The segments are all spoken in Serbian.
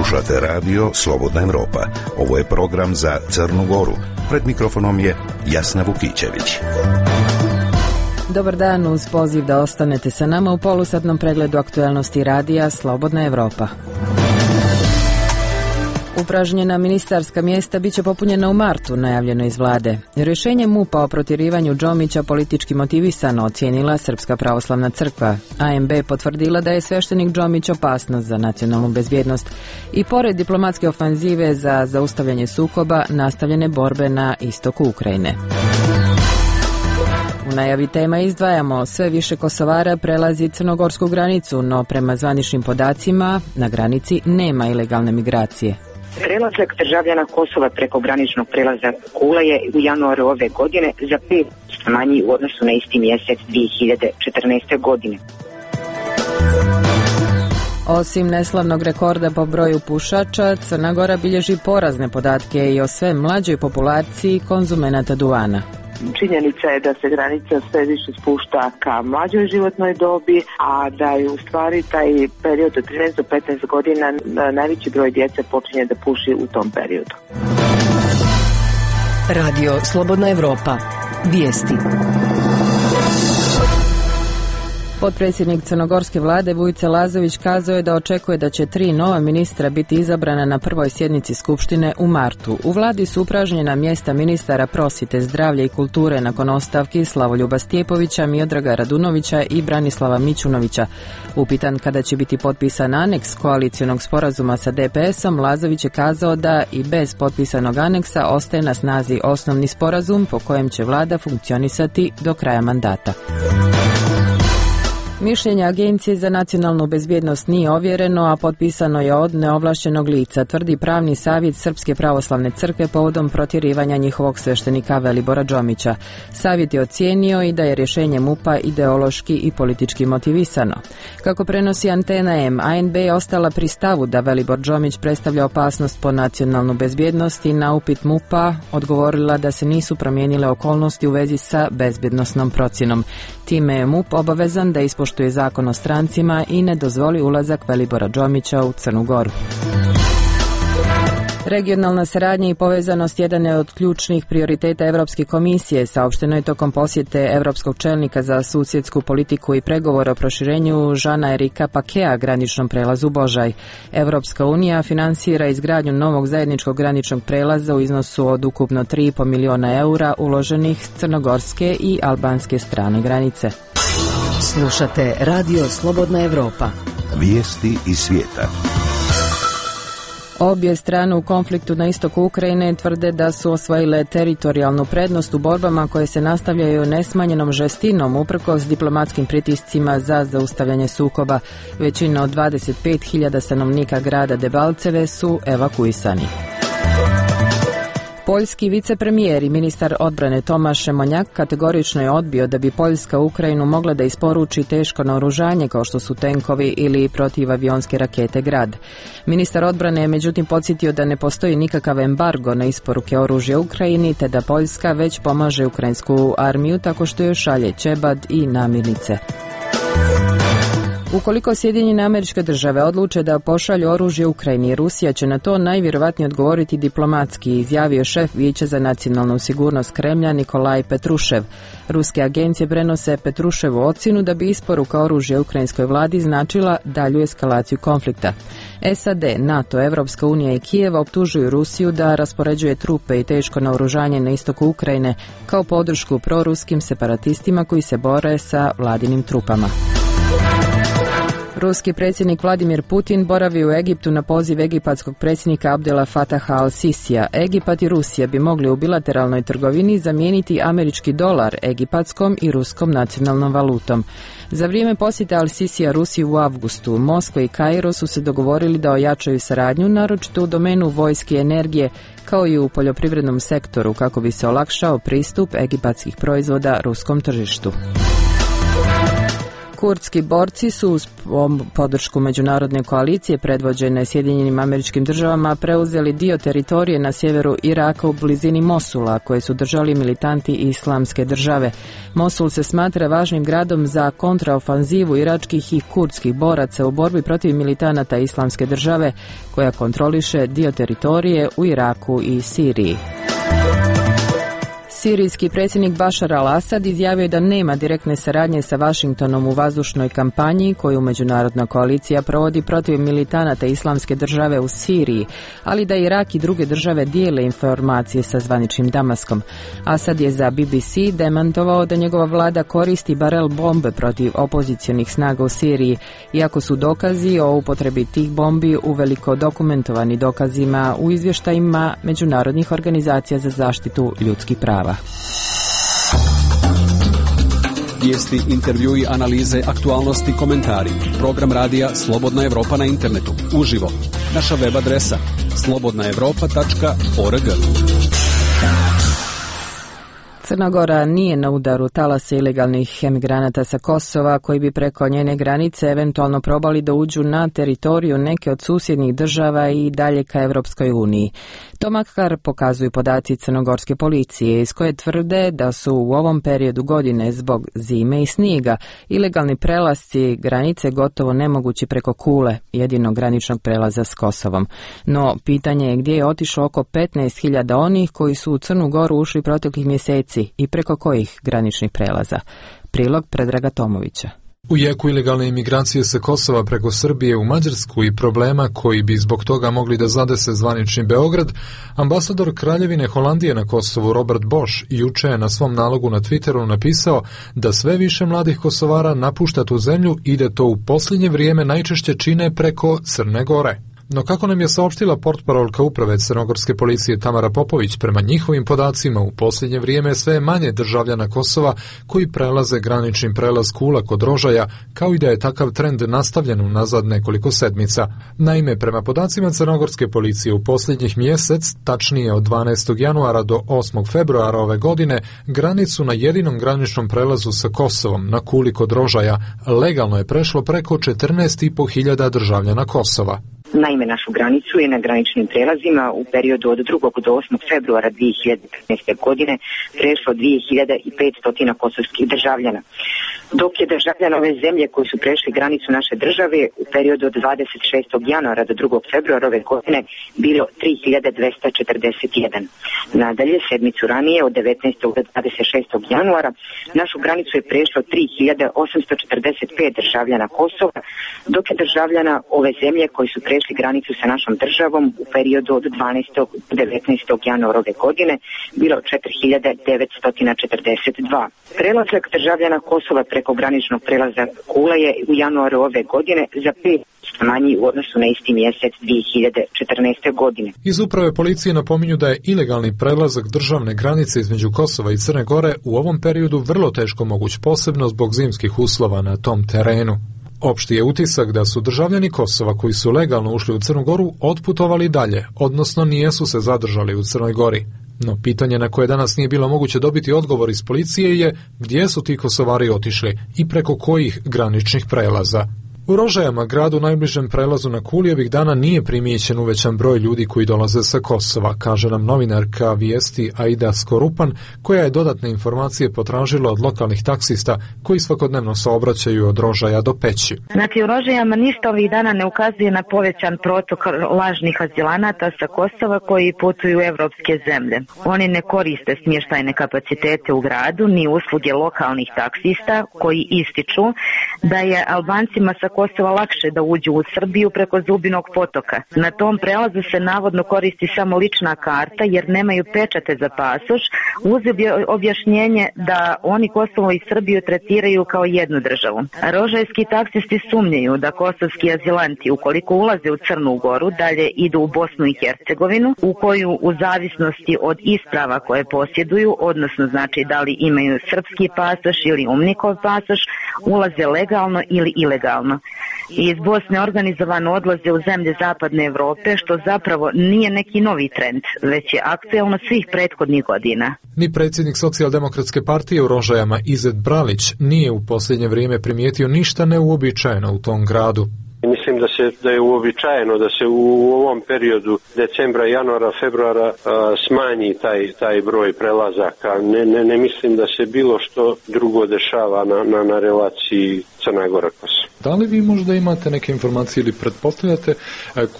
Slušate radio Slobodna Evropa. Ovo je program za Crnu Goru. Pred mikrofonom je Jasna Vukićević. Dobar dan, uz poziv da ostanete sa nama u polusatnom pregledu aktuelnosti radija Slobodna Evropa. Upražnjena ministarska mjesta biće popunjena u martu, najavljeno iz vlade. Rješenje MUP-a o protjerivanju Džomića politički motivisano ocijenila Srpska pravoslavna crkva. ANB potvrdila da je sveštenik Džomić opasnost za nacionalnu bezbjednost i pored diplomatske ofanzive za zaustavljanje sukoba, nastavljene borbe na istoku Ukrajine. U najavi tema izdvajamo, sve više Kosovara prelazi crnogorsku granicu, no prema zvaničnim podacima na granici nema ilegalne migracije. Prelazak državljana Kosova preko graničnog prelaza Kula je u januaru ove godine za 5% manji u odnosu na isti mjesec 2014. godine. Osim neslavnog rekorda po broju pušača, Crna Gora bilježi porazne podatke i o sve mlađoj populaciji konzumenata duvana. Činjenica je da se granica sve više spušta ka mlađoj životnoj dobi, a da je u stvari taj period od 13 do 15 godina najveći broj djece počinje da puši u tom periodu. Radio Slobodna Evropa. Vijesti. Potpredsjednik crnogorske vlade Vujica Lazović kazao je da očekuje da će 3 nova ministra biti izabrana na prvoj sjednici Skupštine u martu. U vladi su upražnjena mjesta ministara prosvjete, zdravlja i kulture nakon ostavki Slavoljuba Stjepovića, Miodraga Radunovića i Branislava Mićunovića. Upitan kada će biti potpisan aneks koalicionog sporazuma sa DPS-om, Lazović je kazao da i bez potpisanog aneksa ostaje na snazi osnovni sporazum po kojem će vlada funkcionisati do kraja mandata. Mišljenje Agencije za nacionalnu bezbjednost nije ovjereno, a potpisano je od neovlašćenog lica, tvrdi pravni savjet Srpske pravoslavne crkve povodom protjerivanja njihovog sveštenika Velibora Džomića. Savjet je ocijenio i da je rješenje MUP-a ideološki i politički motivisano. Kako prenosi Antena M, ANB je ostala pri stavu da Velibor Džomić predstavlja opasnost po nacionalnu bezbjednost i na upit MUP-a odgovorila da se nisu promijenile okolnosti u vezi sa bezbjednosnom procjenom. Time je MUP obavezan da ispoštuje zakon o strancima i ne dozvoli ulazak Velibora Džomića u Crnu Goru. Regionalna saradnja i povezanost jedan je od ključnih prioriteta Europske komisije, saopšteno je tokom posjete europskog čelnika za susjedsku politiku i pregovore o proširenju Žana Erika Pakea graničnom prelazu Božaj. Europska unija finansira izgradnju novog zajedničkog graničnog prelaza u iznosu od ukupno 3,5 miliona eura uloženih s crnogorske i albanske strane granice. Slušate Radio Slobodna Evropa. Vijesti iz svijeta. Obje strane u konfliktu na istoku Ukrajine tvrde da su osvojile teritorijalnu prednost u borbama koje se nastavljaju nesmanjenom žestinom uprkos diplomatskim pritiscima za zaustavljanje sukoba. Većina od 25.000 stanovnika grada Debalceve su evakuisani. Poljski vicepremijer i ministar odbrane Tomaš Šemonjak kategorično je odbio da bi Poljska Ukrajinu mogla da isporuči teško naoružanje kao što su tenkovi ili protivavionske rakete Grad. Ministar odbrane je međutim podsjetio da ne postoji nikakav embargo na isporuke oružja Ukrajini te da Poljska već pomaže ukrajinsku armiju tako što joj šalje ćebad i namirnice. Ukoliko Sjedinjene Američke Države odluče da pošalju oružje Ukrajini, Rusija će na to najvjerovatnije odgovoriti diplomatski, izjavio šef Vijeća za nacionalnu sigurnost Kremlja Nikolaj Petrušev. Ruske agencije prenose Petruševu ocjenu da bi isporuka oružja ukrajinskoj vladi značila dalju eskalaciju konflikta. SAD, NATO, Evropska unija i Kijev optužuju Rusiju da raspoređuje trupe i teško naoružanje na istoku Ukrajine kao podršku proruskim separatistima koji se bore sa vladinim trupama. Ruski predsjednik Vladimir Putin boravi u Egiptu na poziv egipatskog predsjednika Abdela Fataha al-Sisija. Egipat i Rusija bi mogli u bilateralnoj trgovini zamijeniti američki dolar egipatskom i ruskom nacionalnom valutom. Za vrijeme posjeta al-Sisija Rusiji u avgustu, Moskva i Kairo su se dogovorili da ojačaju saradnju, naročito u domenu vojske i energije, kao i u poljoprivrednom sektoru, kako bi se olakšao pristup egipatskih proizvoda ruskom tržištu. Kurdski borci su uz podršku međunarodne koalicije predvođene Sjedinjenim Američkim Državama preuzeli dio teritorije na sjeveru Iraka u blizini Mosula koje su držali militanti Islamske države. Mosul se smatra važnim gradom za kontraofanzivu iračkih i kurdskih boraca u borbi protiv militanata Islamske države koja kontroliše dio teritorije u Iraku i Siriji. Sirijski predsjednik Bašar al-Asad izjavio je da nema direktne saradnje sa Vašingtonom u vazdušnoj kampanji koju međunarodna koalicija provodi protiv militanata Islamske države u Siriji, ali da Irak i druge države dijele informacije sa zvaničnim Damaskom. Asad je za BBC demantovao da njegova vlada koristi barel bombe protiv opozicionih snaga u Siriji, iako su dokazi o upotrebi tih bombi uveliko dokumentovani dokazima u izvještajima međunarodnih organizacija za zaštitu ljudskih prava. Vijesti, intervjui, analize, aktualnosti, komentari. Program radija Slobodna Evropa na internetu. Uživo. Naša web adresa slobodnaevropa.org. Crna Gora nije na udaru talasa ilegalnih emigranata sa Kosova koji bi preko njene granice eventualno probali da uđu na teritoriju neke od susjednih država i dalje ka Evropskoj uniji. To makar pokazuju podaci crnogorske policije iz koje tvrde da su u ovom periodu godine zbog zime i snijega ilegalni prelasci granice gotovo nemogući preko Kule, jedinog graničnog prelaza s Kosovom. No, pitanje je gdje je otišlo oko 15.000 onih koji su u Crnu Goru ušli proteklih mjeseci i preko kojih graničnih prelaza. Prilog Predraga Tomovića. U jeku ilegalne imigracije sa Kosova preko Srbije u Mađarsku i problema koji bi zbog toga mogli da zadese zvanični Beograd, ambasador Kraljevine Holandije na Kosovu Robert Bosch juče je na svom nalogu na Twitteru napisao da sve više mladih Kosovara napušta tu zemlju i da to u posljednje vrijeme najčešće čine preko Crne Gore. No kako nam je saopštila portparolka uprave crnogorske policije Tamara Popović, prema njihovim podacima u posljednje vrijeme sve je manje državljana Kosova koji prelaze granični prelaz Kula kod Rožaja, kao i da je takav trend nastavljen unazad nekoliko sedmica. Naime, prema podacima crnogorske policije u posljednjih mjesec, tačnije od 12. januara do 8. februara ove godine, granicu na jedinom graničnom prelazu sa Kosovom na Kuli kod Rožaja legalno je prešlo preko 14.500 državljana Kosova. Naime, našu granicu je na graničnim prelazima u periodu od 2. do 8. februara 2015. godine prešlo 2500 kosovskih državljana. Dok je državljana ove zemlje koji su prešli granicu naše države u periodu od 26. januara do 2. februara ove godine bilo 3241. Nadalje, sedmicu ranije od 19. do 26. januara našu granicu je prešlo 3845 državljana Kosova, dok je državljana ove zemlje koji su prešli granicu sa našom državom u periodu od 12. do 19. januara ove godine bilo 4942. Prelazak državljana Kosova preko graničnog prelaza Kula je u januaru ove godine za 5% manji u odnosu na isti mjesec 2014. godine. Iz uprave policije napominju da je ilegalni prelazak državne granice između Kosova i Crne Gore u ovom periodu vrlo teško moguć, posebno zbog zimskih uslova na tom terenu. Opšti je utisak da su državljani Kosova koji su legalno ušli u Crnu Goru otputovali dalje, odnosno nijesu se zadržali u Crnoj Gori. No pitanje na koje danas nije bilo moguće dobiti odgovor iz policije je gdje su ti Kosovari otišli i preko kojih graničnih prelaza. U Rožajama, gradu najbližem prelazu na Kuli, ovih dana nije primijećen uvećan broj ljudi koji dolaze sa Kosova, kaže nam novinarka Vijesti Aida Skorupan, koja je dodatne informacije potražila od lokalnih taksista koji svakodnevno saobraćaju od Rožaja do Peći. Znači, u Rožajama ništa ovih dana ne ukazuje na povećan protok lažnih azilanata sa Kosova koji putuju u evropske zemlje. Oni ne koriste smještajne kapacitete u gradu ni usluge lokalnih taksista koji ističu da je Albancima sa Kosova lakše da uđu u Srbiju preko Zubinog potoka. Na tom prelazu se navodno koristi samo lična karta jer nemaju pečate za pasoš, uz objašnjenje da oni Kosovo i Srbiju tretiraju kao jednu državu. Rožajski taksisti sumnjaju da kosovski azilanti ukoliko ulaze u Crnu Goru dalje idu u Bosnu i Hercegovinu, u koju u zavisnosti od isprava koje posjeduju, odnosno znači da li imaju srpski pasoš ili umnikov pasoš, ulaze legalno ili ilegalno. i iz Bosne organizovano odlaze u zemlje zapadne Europe, što zapravo nije neki novi trend, već je aktuelno svih prethodnih godina. Ni predsjednik Socijaldemokratske partije u Rožajama Izet Bralić nije u posljednje vrijeme primijetio ništa neuobičajeno u tom gradu. Mislim da je uobičajeno da se u ovom periodu decembra, januara, februara smanji taj broj prelazaka. Ne mislim da se bilo što drugo dešava na relaciji Crna Gora-Kosovo. Da li vi možda imate neke informacije ili pretpostavljate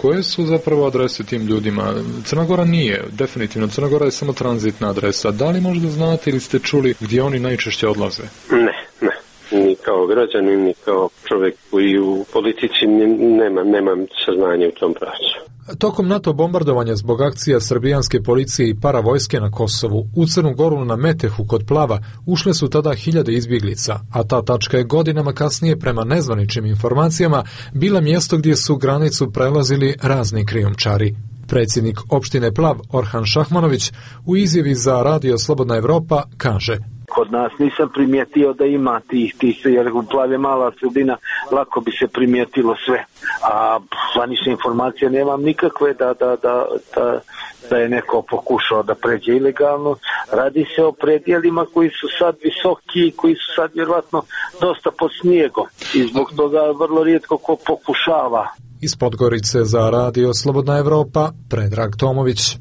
koje su zapravo adrese tim ljudima? Crna Gora nije, definitivno. Crna Gora je samo tranzitna adresa. Da li možda znate ili ste čuli gdje oni najčešće odlaze? Ne. Ni kao građanin, ni kao čovjek koji u politici nemam saznanje u tom pravcu. Tokom NATO bombardovanja zbog akcija srbijanske policije i paravojske na Kosovu, u Crnu Goru na Metehu kod Plava ušle su tada 1000 izbjeglica, a ta tačka je godinama kasnije prema nezvaničnim informacijama bila mjesto gdje su granicu prelazili razni krijumčari. Predsjednik opštine Plav Orhan Šahmanović u izjavi za Radio Slobodna Evropa kaže: Kod nas nisam primijetio da ima tih, jer u Plav je mala sredina, lako bi se primijetilo sve. A zvanične informacije nemam nikakve da je neko pokušao da pređe ilegalno. Radi se o predjelima koji su sad visoki, koji su sad vjerojatno dosta pod snijegom i zbog toga vrlo rijetko ko pokušava. Iz Podgorice za Radio Slobodna Evropa, Predrag Tomović.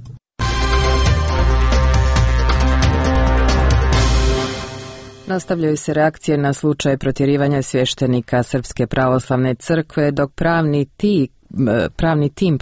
Nastavljaju se reakcije na slučaj protjerivanja svještenika Srpske pravoslavne crkve, dok pravni tim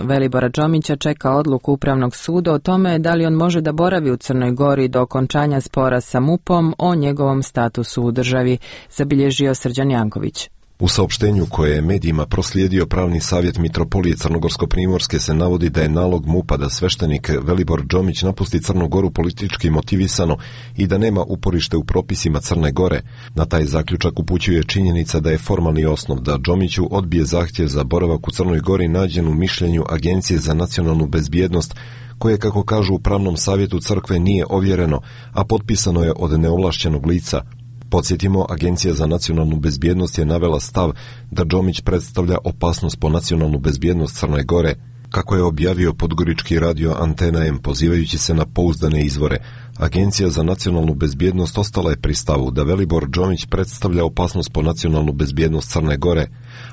Velibora Đomića čeka odluku Upravnog suda o tome da li on može da boravi u Crnoj Gori do okončanja spora sa MUP-om o njegovom statusu u državi, zabilježio Srđan Janković. U saopštenju koje je medijima proslijedio pravni savjet Mitropolije Crnogorsko-Primorske se navodi da je nalog MUP-a da sveštenik Velibor Đomić napusti Crnu Goru politički motivisano i da nema uporište u propisima Crne Gore. Na taj zaključak upućuje činjenica da je formalni osnov da Đomiću odbije zahtjev za boravak u Crnoj Gori nađen u mišljenju Agencije za nacionalnu bezbjednost, koje, kako kažu u pravnom savjetu crkve, nije ovjereno, a potpisano je od neovlašćenog lica. Podsjetimo, Agencija za nacionalnu bezbjednost je navela stav da Đomić predstavlja opasnost po nacionalnu bezbjednost Crne Gore, kako je objavio podgorički radio Antena M pozivajući se na pouzdane izvore. Agencija za nacionalnu bezbjednost ostala je pri stavu da Velibor Đomić predstavlja opasnost po nacionalnu bezbjednost Crne Gore.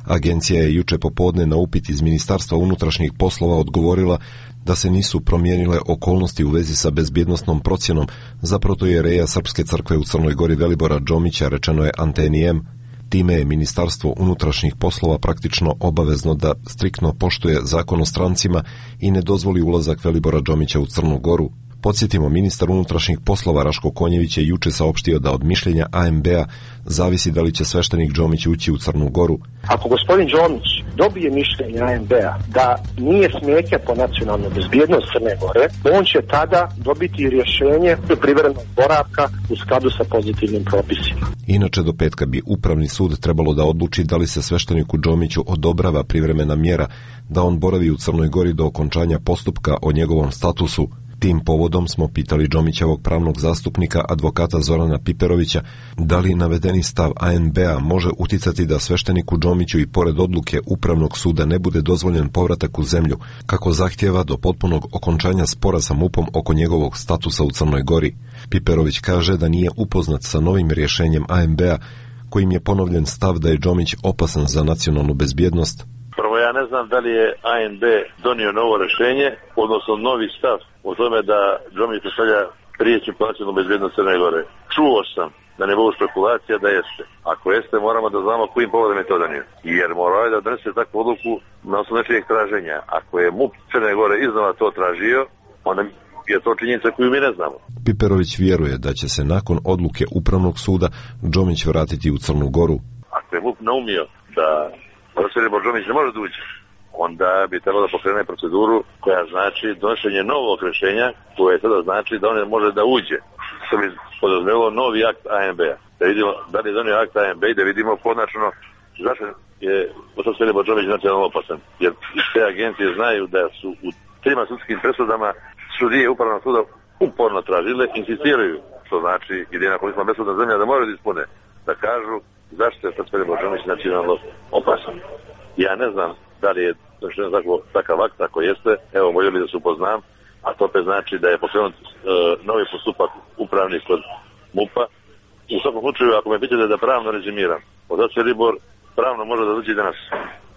Agencija je juče popodne na upit iz Ministarstva unutrašnjih poslova odgovorila da se nisu promijenile okolnosti u vezi sa bezbjednosnom procjenom za protojereja Srpske crkve u Crnoj Gori Velibora Đomića, rečeno je Anteni M. Time je Ministarstvo unutrašnjih poslova praktično obavezno da striktno poštuje zakon o strancima i ne dozvoli ulazak Velibora Đomića u Crnu Goru. Podsjetimo, ministar unutrašnjih poslova Raško Konjević je juče saopštio da od mišljenja AMB-a zavisi da li će sveštenik Đomić ući u Crnu Goru. Ako gospodin Đomić dobije mišljenje AMB-a da nije smetnja po nacionalnu bezbjednost Crne Gore, on će tada dobiti rješenje privremenog boravka u skladu sa pozitivnim propisima. Inače, do petka bi Upravni sud trebalo da odluči da li se svešteniku Đomiću odobrava privremena mjera da on boravi u Crnoj Gori do okončanja postupka o njegovom statusu. Tim povodom smo pitali Đomićevog pravnog zastupnika, advokata Zorana Piperovića, da li navedeni stav ANB-a može uticati da svešteniku Đomiću i pored odluke Upravnog suda ne bude dozvoljen povratak u zemlju, kako zahtjeva do potpunog okončanja spora sa MUP-om oko njegovog statusa u Crnoj Gori. Piperović kaže da nije upoznat sa novim rješenjem ANB-a, kojim je ponovljen stav da je Đomić opasan za nacionalnu bezbjednost. Prvo, ja ne znam da li je ANB donio novo rješenje, odnosno novi stav o tome da Đomić predstavlja prijeću nacionalnu bezbjednost Crne Gore. Čuo sam, da ne bude spekulacija, da jeste. Ako jeste, moramo da znamo kojim povodom je to donio. Jer morao je da donese takvu odluku na osnovu nečijeg traženja. Ako je MUP Crne Gore iznova to tražio, onda je to činjenica koju mi ne znamo. Piperović vjeruje da će se nakon odluke Upravnog suda Đomić vratiti u Crnu Goru. Ako je MUP naumio da Velibor Đomić ne može da uđe, onda bi trebalo da pokrene proceduru koja znači donošenje novog rješenja, koje sada znači da on može da uđe. Što bi podrazumijelo novi akt ANB-a. Da vidimo da li je donio akt ANB i da vidimo konačno zašto je Velibor Đomić nacionalno opasan. Jer te agencije znaju da su u 3 sudskim presudama sudije Upravnog suda uporno tražile, insistiraju, što znači jedina koliko smo besudna zemlja da moraju da ispune, da kažu zašto je Velibor Džomić nacionalno opasan. Ja ne znam da li je takav akt, ako jeste, evo voljeli da se upoznam, a to opet znači da je pokrenut novi postupak upravni kod MUP-a. U svakom slučaju, ako me pitate da pravno rezimiram, otac Velibor pravno može da dođe danas.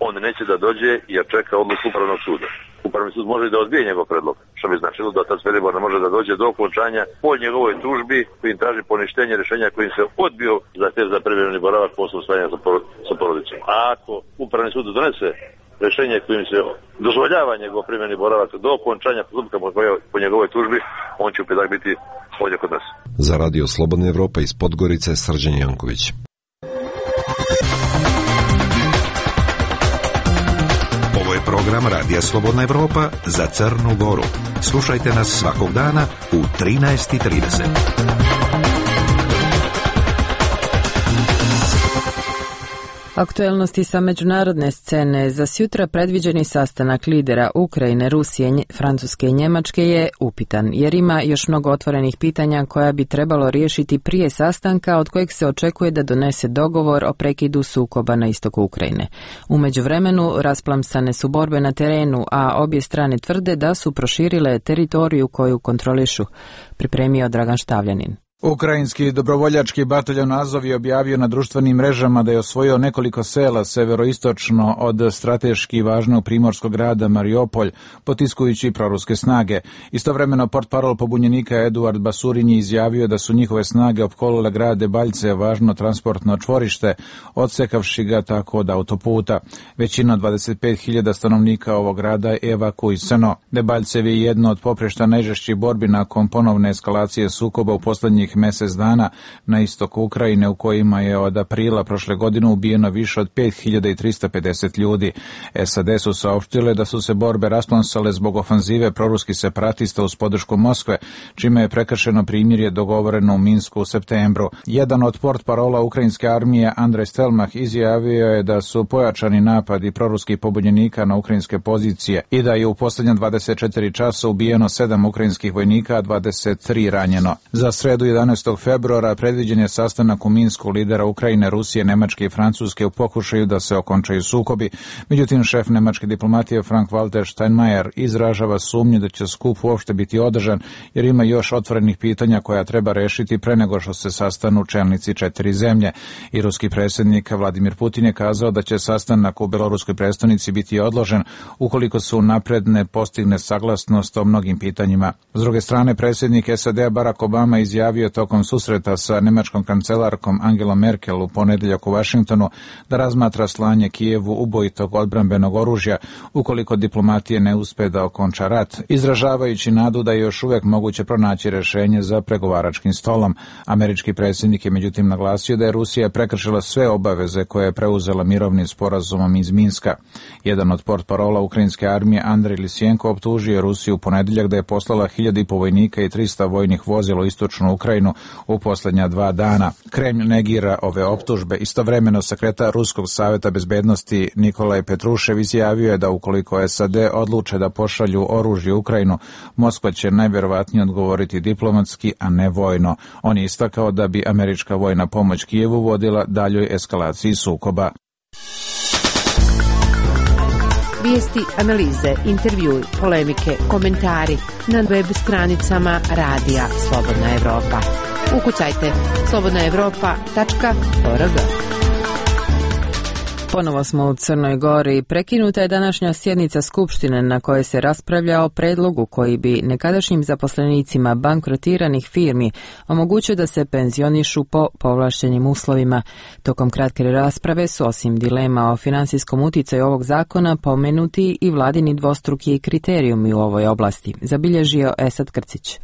On neće da dođe jer čeka odluku upravnog suda. Upravni sud može da odbije njegov predlog, što bi značilo da otac Velibor ne može da dođe do okončanja po njegovoj tužbi kojim traži poništenje rješenja kojim se odbio zahtev za privremeni boravak posle usvajanja sa porodicom. A ako upravni sud donese rješenje kojim se dozvoljava njegov privremeni boravak do okončanja postupka po njegovoj tužbi, on će u petak biti ovdje kod nas. Za Radio Slobodna Evropa iz Podgorice, Srđan Janković. Ovo je program Radija Slobodna Evropa za Crnu Goru. Slušajte nas svakog dana u 13:30. Aktuelnosti sa međunarodne scene. Za sutra predviđeni sastanak lidera Ukrajine, Rusije, Francuske i Njemačke je upitan, jer ima još mnogo otvorenih pitanja koja bi trebalo riješiti prije sastanka od kojeg se očekuje da donese dogovor o prekidu sukoba na istoku Ukrajine. U međuvremenu rasplamsane su borbe na terenu, a obje strane tvrde da su proširile teritoriju koju kontrolišu. Pripremio Dragan Štavljanin. Ukrajinski dobrovoljački bataljon Azov je objavio na društvenim mrežama da je osvojio nekoliko sela severoistočno od strateški važnog primorskog grada Mariupolj, potiskujući proruske snage. Istovremeno portparol pobunjenika Eduard Basurin je izjavio da su njihove snage opkolile grad Debaljce, važno transportno čvorište, odsekavši ga tako od autoputa. Većina od 25.000 stanovnika ovog grada je evakuisano. Debaljcev je jedno od poprišta najžešćih borbi nakon ponovne eskalacije sukoba u poslednjih mjesec dana na istoku Ukrajine, u kojima je od aprila prošle godine ubijeno više od 5.350 ljudi. SAD su saopštile da su se borbe rasplansale zbog ofanzive proruskih separatista uz podršku Moskve, čime je prekršeno primirje dogovoreno u Minsku u septembru. Jedan od portparola ukrajinske armije, Andrej Stelmach, izjavio je da su pojačani napadi proruskih pobunjenika na ukrajinske pozicije i da je u posljednja 24 časa ubijeno 7 ukrajinskih vojnika, a 23 ranjeno. Za sredu 11. februara predviđen je sastanak u Minsku lidera Ukrajine, Rusije, Nemačke i Francuske u pokušaju da se okončaju sukobi. Međutim, šef nemačke diplomatije Frank-Walter Steinmeier izražava sumnju da će skup uopšte biti održan, jer ima još otvorenih pitanja koja treba rešiti pre nego što se sastanu čelnici 4 zemlje. I ruski predsjednik Vladimir Putin je kazao da će sastanak u beloruskoj prestonici biti odložen ukoliko se unapred ne postigne saglasnost o mnogim pitanjima. S druge strane, predsjednik SAD Barack Obama izjavio tokom susreta sa nemačkom kancelarkom Angelom Merkel u ponedeljak u Vašingtonu da razmatra slanje Kijevu ubojitog odbrambenog oružja ukoliko diplomatije ne uspe da okonča rat, izražavajući nadu da je još uvijek moguće pronaći rješenje za pregovaračkim stolom. Američki predsjednik je međutim naglasio da je Rusija prekršila sve obaveze koje je preuzela mirovnim sporazumom iz Minska. Jedan od portparola ukrajinske armije, Andrej Lisjenko, optužio Rusiju u ponedeljak da je poslala 1.500 vojnika i 300 vojnih vozila u istočnu Ukrajinu u posljednja 2 dana. Kremlj negira ove optužbe. Istovremeno sekretar Ruskog savjeta bezbednosti Nikolaj Petrušev izjavio je da ukoliko SAD odluče da pošalju oružje u Ukrajinu, Moskva će najvjerovatnije odgovoriti diplomatski, a ne vojno. On je istakao da bi američka vojna pomoć Kijevu vodila daljoj eskalaciji sukoba. Vijesti, analize, intervjui, polemike, komentari na web stranicama Radija Slobodna Evropa. Ukucajte slobodnaevropa.org. Ponovo smo u Crnoj Gori. Prekinuta je današnja sjednica Skupštine na kojoj se raspravlja o predlogu koji bi nekadašnjim zaposlenicima bankrotiranih firmi omogućio da se penzionišu po povlaštenim uslovima. Tokom kratke rasprave su osim dilema o financijskom uticaju ovog zakona pomenuti i vladini dvostruki kriterijumi u ovoj oblasti, zabilježio Esad Krcić.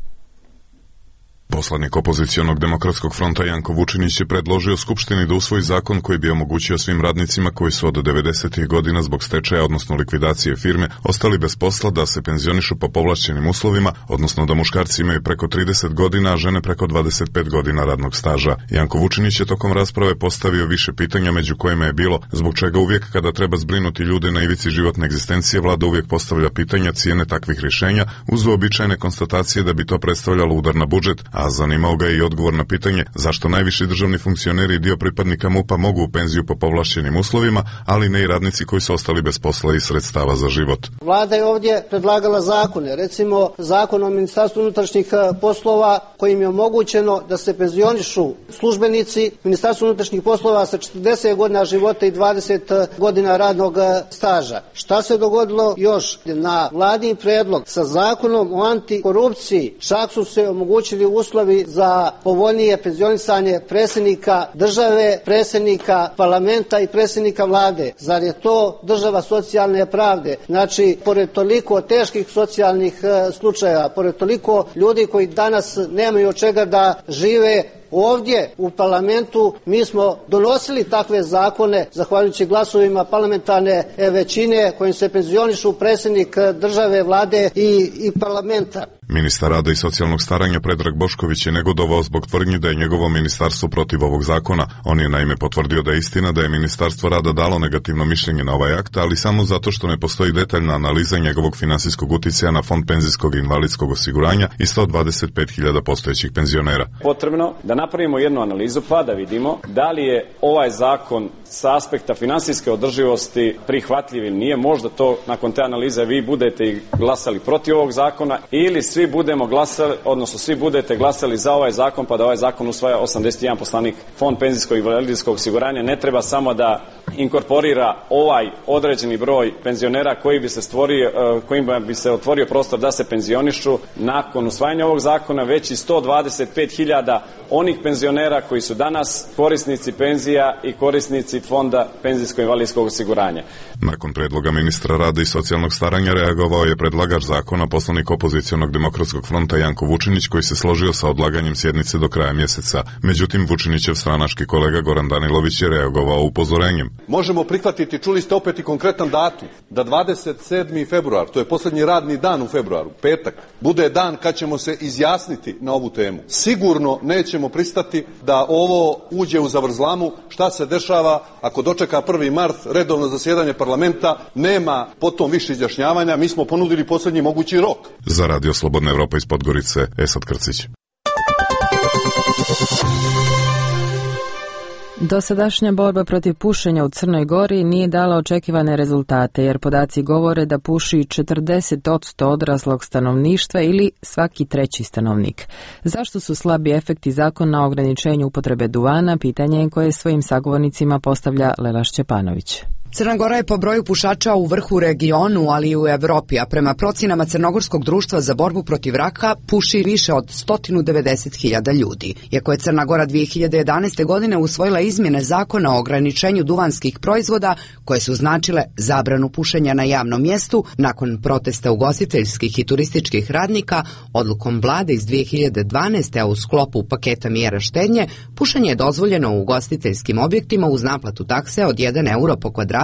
Poslanik opozicionog demokratskog fronta Janko Vučinić je predložio Skupštini da usvoji zakon koji bi omogućio svim radnicima koji su od 90. godina zbog stečaja, odnosno likvidacije firme, ostali bez posla da se penzionišu po povlašćenim uslovima, odnosno da muškarci imaju preko 30 godina, a žene preko 25 godina radnog staža. Janko Vučinić je tokom rasprave postavio više pitanja, među kojima je bilo zbog čega uvijek kada treba zbrinuti ljude na ivici životne egzistencije, vlada uvijek postavlja pitanja cijene takvih rješenja uz uobičajene konstatacije da bi to predstavljalo udar na budžet, a zanimao ga je i odgovor na pitanje zašto najviši državni funkcioneri i dio pripadnika MUP-a mogu u penziju po povlašćenim uslovima, ali ne i radnici koji su ostali bez posla i sredstava za život. Vlada je ovdje predlagala zakone, recimo zakon o Ministarstvu unutrašnjih poslova kojim je omogućeno da se penzionišu službenici Ministarstva unutrašnjih poslova sa 40 godina života i 20 godina radnog staža. Šta se dogodilo još? Na vladin predlog sa zakonom o antikorupciji čak su se omogućili uslovi za povoljnije penzionisanje predsjednika države, predsjednika parlamenta i predsjednika vlade. Zar je to država socijalne pravde? Znači, pored toliko teških socijalnih slučajeva, pored toliko ljudi koji danas nemaju od čega da žive, ovdje u parlamentu mi smo donosili takve zakone zahvaljujući glasovima parlamentarne većine kojim se penzionišu predsjednik države, vlade i parlamenta. Ministar rada i socijalnog staranja Predrag Bošković je negodovao zbog tvrdnji da je njegovo ministarstvo protiv ovog zakona. On je naime potvrdio da je istina da je Ministarstvo rada dalo negativno mišljenje na ovaj akt, ali samo zato što ne postoji detaljna analiza njegovog finansijskog uticaja na Fond penzijskog i invalidskog osiguranja i 125.000 postojećih penzionera. Potrebno da napravimo jednu analizu pa da vidimo da li je ovaj zakon sa aspekta finansijske održivosti prihvatljiv ili nije. Možda to nakon te analize vi budete i glasali protiv ovog zakona ili svi budemo glasali, odnosno svi budete glasali za ovaj zakon pa da ovaj zakon usvaja 81 poslanik. Fond penzijskog i invalidskog osiguranja ne treba samo da inkorporira ovaj određeni broj penzionera kojima bi se otvorio prostor da se penzionišu nakon usvajanja ovog zakona, već i 125.000 onih penzionera koji su danas korisnici penzija i korisnici Fonda penzijsko-invalidskog osiguranja. Nakon predloga ministra rada i socijalnog staranja reagovao je predlagač zakona, poslanik opozicionog Demokratskog fronta Janko Vučinić, koji se složio sa odlaganjem sjednice do kraja mjeseca. Međutim, Vučinićev stranački kolega Goran Danilović je reagovao upozorenjem. Možemo prihvatiti, čuli ste opet i konkretan datum, da 27. februar, to je posljednji radni dan u februaru, petak, bude dan kad ćemo se izjasniti na ovu temu. Sigurno nećemo pristati da ovo uđe u zavrzlamu. Šta se dešava ako dočeka 1. mart redovno zasjedanje parlamenta, nema potom više izjašnjavanja, mi smo ponudili posljednji mogući rok. Za Radio Slobodna Evropa iz Podgorice, Esad Krcić. Dosadašnja borba protiv pušenja u Crnoj Gori nije dala očekivane rezultate, jer podaci govore da puši 40% odraslog stanovništva ili svaki treći stanovnik. Zašto su slabi efekti zakona o ograničenju upotrebe duvana, pitanje je koje svojim sagovornicima postavlja Lela Šćepanović. Crna Gora je po broju pušača u vrhu u regionu, ali i u Evropi, a prema procenama Crnogorskog društva za borbu protiv raka puši više od 190.000 ljudi. Iako je Crna Gora 2011. godine usvojila izmjene zakona o ograničenju duvanskih proizvoda koje su značile zabranu pušenja na javnom mjestu, nakon protesta ugostiteljskih i turističkih radnika, odlukom vlade iz 2012. a u sklopu paketa mjera štednje, pušenje je dozvoljeno u ugostiteljskim objektima uz naplatu takse od 1 euro po kvadratu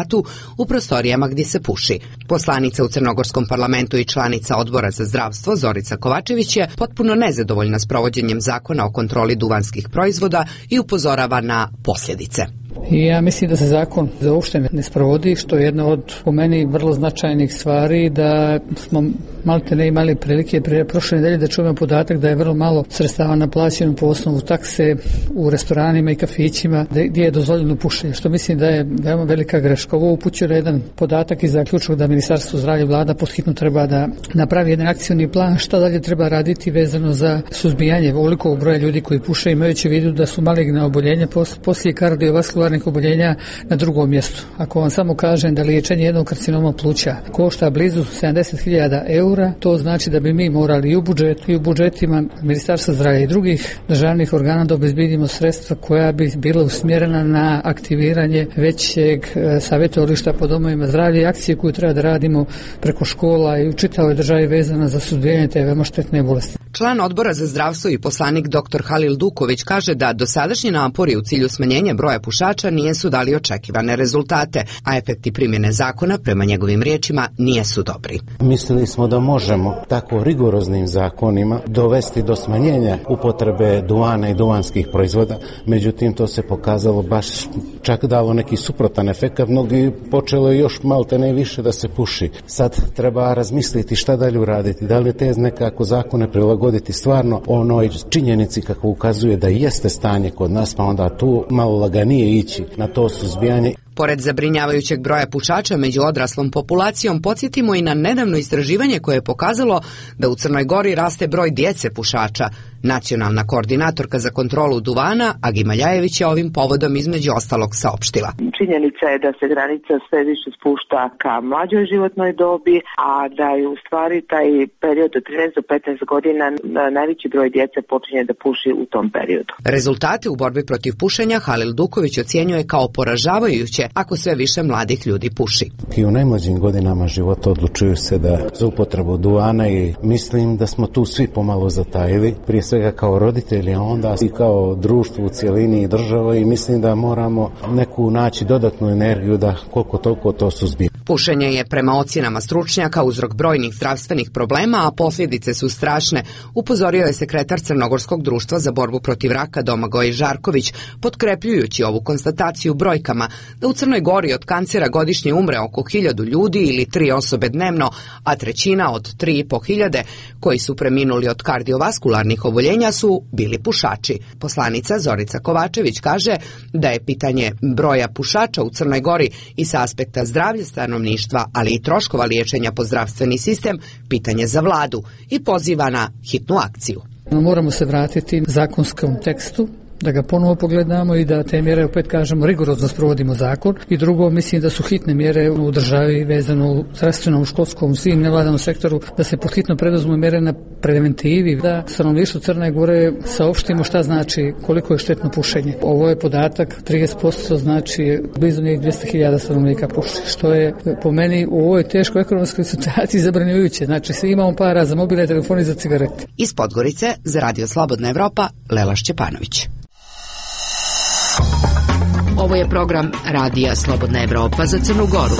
u prostorijama gdje se puši. Poslanica u Crnogorskom parlamentu i članica Odbora za zdravstvo Zorica Kovačević je potpuno nezadovoljna s provođenjem zakona o kontroli duvanskih proizvoda i upozorava na posljedice. Ja mislim da se zakon uopšte ne sprovodi, što je jedna od, po meni, vrlo značajnih stvari, da smo malte ne imali prilike prošle nedelje da čujemo podatak da je vrlo malo sredstava naplaćeno po osnovu takse u restoranima i kafićima gdje je dozvoljeno pušenje, što mislim da je veoma velika greška. Ovo upućuje na jedan podatak i zaključak da Ministarstvo zdravlja i vlada podhitno treba da napravi jedan akcioni plan šta dalje treba raditi vezano za suzbijanje ovolikog broja ljudi koji puše, imajući u vidu da su maligna oboljenja poslije kardiovaskularnih oboljenja na drugom mjestu. Ako vam samo kažem da liječenje jednog karcinoma pluća košta blizu 70.000 eura, to znači da bi mi morali i u budžetu i u budžetima Ministarstva zdravlja i drugih državnih organa da obezbedimo sredstva koja bi bila usmjerena na aktiviranje većeg savjetovališta po domovima zdravlja i akcije koju treba da radimo preko škola i u čitavoj državi vezana za suzbijanje te veoma štetne bolesti. Član Odbora za zdravstvo i poslanik dr. Halil Duković kaže da dosadašnji napori u cilju smanjenja broja pušača nisu dali očekivane rezultate, a efekti primjene zakona, prema njegovim riječima, nisu dobri. Mislili smo da možemo tako rigoroznim zakonima dovesti do smanjenja upotrebe duvana i duvanskih proizvoda, međutim to se pokazalo baš čak dalo neki suprotan efekt, mnogi počelo još malte ne više da se puši. Sad treba razmisliti šta dalje uraditi, da li te nekako zakone prilagoditi prilagoditi stvarno onoj činjenici kako ukazuje da jeste stanje kod nas, pa onda tu malo laganije ići na to suzbijanje. Pored zabrinjavajućeg broja pušača među odraslom populacijom, podsjetimo i na nedavno istraživanje koje je pokazalo da u Crnoj Gori raste broj djece pušača. Nacionalna koordinatorka za kontrolu duvana, Agi Maljajević, je ovim povodom između ostalog saopštila. Činjenica je da se granica sve više spušta ka mlađoj životnoj dobi, a da je u stvari taj period od 13 do 15 godina najveći broj djece počinje da puši u tom periodu. Rezultate u borbi protiv pušenja Halil Duković ocjenjuje kao poražavajuće ako sve više mladih ljudi puši. I u najmlađim godinama života odlučuju se da za upotrebu duvana i mislim da smo tu svi pomalo zatajili, prije svega kao roditelji, a onda i kao društvo u cijelini i država, i mislim da moramo neku naći dodatnu energiju da koliko toliko to suzbijemo. Pušenje je prema ocjenama stručnjaka uzrok brojnih zdravstvenih problema, a posljedice su strašne, upozorio je sekretar Crnogorskog društva za borbu protiv raka Domagoj Žarković, potkrepljujući ovu konstataciju brojkama da u Crnoj Gori od kancera godišnje umre oko 1000 ljudi ili 3 osobe dnevno, a trećina od 3.500 koji su preminuli od kardiovaskularnih oboljenja su bili pušači. Poslanica Zorica Kovačević kaže da je pitanje broja pušača u Crnoj Gori i sa aspekta zdravlja stanovništva, ali i troškova liječenja po zdravstveni sistem, pitanje za vladu i poziva na hitnu akciju. Moramo se vratiti zakonskom tekstu, da ga ponovo pogledamo i da te mjere, opet kažemo, rigorozno sprovodimo zakon. I drugo, mislim da su hitne mjere u državi vezano u zdravstvenom, školskom, svim nevladanom sektoru, da se podhitno preduzmu mjere na preventivi, da stanovništvu Crne Gore saopštimo šta znači, koliko je štetno pušenje. Ovo je podatak, 30% znači blizu njih 200.000 stanovnika puši, što je po meni u ovoj teškoj ekonomskoj situaciji zabranjujuće. Znači, svi imamo para za mobilne telefone i za cigarete. Iz Podgorice za Radio Slobodna Evropa, Lela Šćepanović. Ovo je program Radija Slobodna Evropa za Crnu Goru.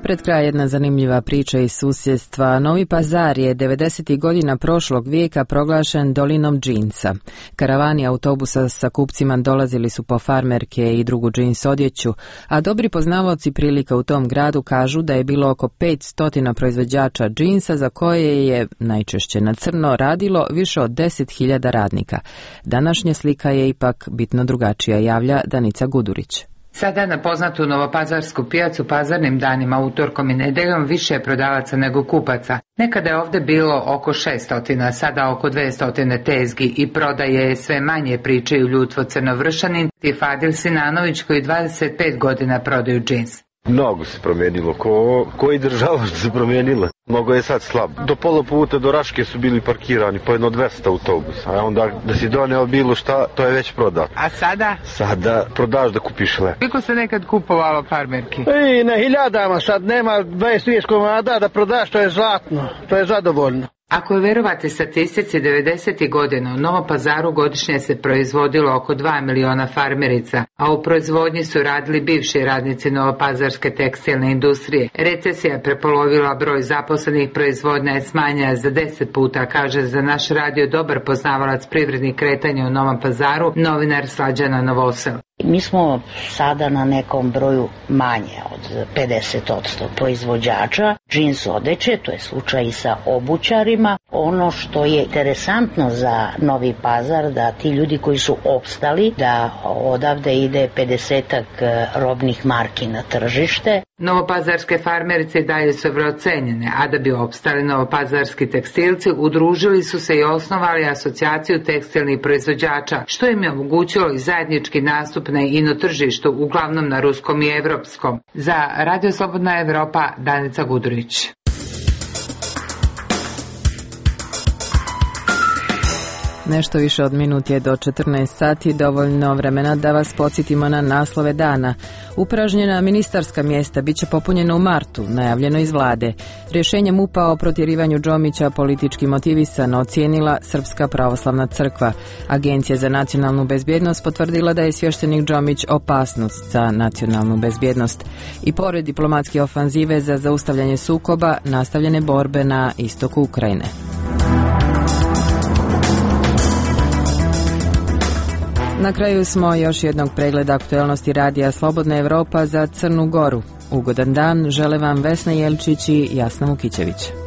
Pred kraj jedna zanimljiva priča iz susjedstva. Novi Pazar je 90. godina prošlog vijeka proglašen dolinom džinsa. Karavani autobusa sa kupcima dolazili su po farmerke i drugu džins odjeću, a dobri poznavaoci prilika u tom gradu kažu da je bilo oko 500 proizvođača džinsa za koje je, najčešće na crno, radilo više od 10.000 radnika. Današnja slika je ipak bitno drugačija, javlja Danica Gudurić. Sada na poznatu novopazarsku pijacu pazarnim danima, utorkom i nedeljom više je prodavaca nego kupaca. Nekada je ovdje bilo oko 600, sada oko 200 tezgi i prodaje je sve manje, pričaju Ljutvo Crnovršanin i Fadil Sinanović koji 25 godina prodaju džins. Mnogo se promijenilo, koji država se promijenila. Mnogo je sad slab. Do pola puta do Raške su bili parkirani po jedno 200 autobusa, a onda da si doneo bilo šta, to je već prodat. A sada? Sada prodaš da kupiš lep. Koliko se nekad kupovalo farmerki? I na hiljadama, sad nema 20 komada da prodaš, to je zlatno, to je zadovoljno. Ako je verovati statistici, 90. godina u Novom Pazaru godišnje se proizvodilo oko 2 miliona farmerica, a u proizvodnji su radili bivši radnici novopazarske tekstilne industrije. Recesija je prepolovila broj zaposlenih, proizvodnja je smanjena za 10 puta, kaže za naš radio dobar poznavalac privrednih kretanja u Novom Pazaru, novinar Slađana Novosel. Mi smo sada na nekom broju manje od 50% proizvođača džins odeće, to je slučaj i sa obućarima. Ono što je interesantno za Novi Pazar, da ti ljudi koji su opstali, da odavde ide 50-ak robnih marki na tržište. Novopazarske farmerice dalje su vrlo cenjene, a da bi opstali novopazarski tekstilci, udružili su se i osnovali asocijaciju tekstilnih proizvođača, što im je omogućilo i zajednički nastup na ino tržištu, uglavnom na ruskom i evropskom. Za Radio Slobodna Evropa, Danica Gudurić. Nešto više od minut je do 14 sati, dovoljno vremena da vas podsjetimo na naslove dana. Upražnjena ministarska mjesta bit će popunjena u martu, najavljeno iz vlade. Rješenje MUP-a o protjerivanju Džomića politički motivisano ocijenila Srpska pravoslavna crkva. Agencija za nacionalnu bezbjednost potvrdila da je svještenik Džomić opasnost za nacionalnu bezbjednost. I pored diplomatske ofanzive za zaustavljanje sukoba, nastavljene borbe na istoku Ukrajine. Na kraju smo još jednog pregleda aktuelnosti Radija Slobodna Evropa za Crnu Goru. Ugodan dan žele vam Vesna Jelčić i Jasna Vukićević.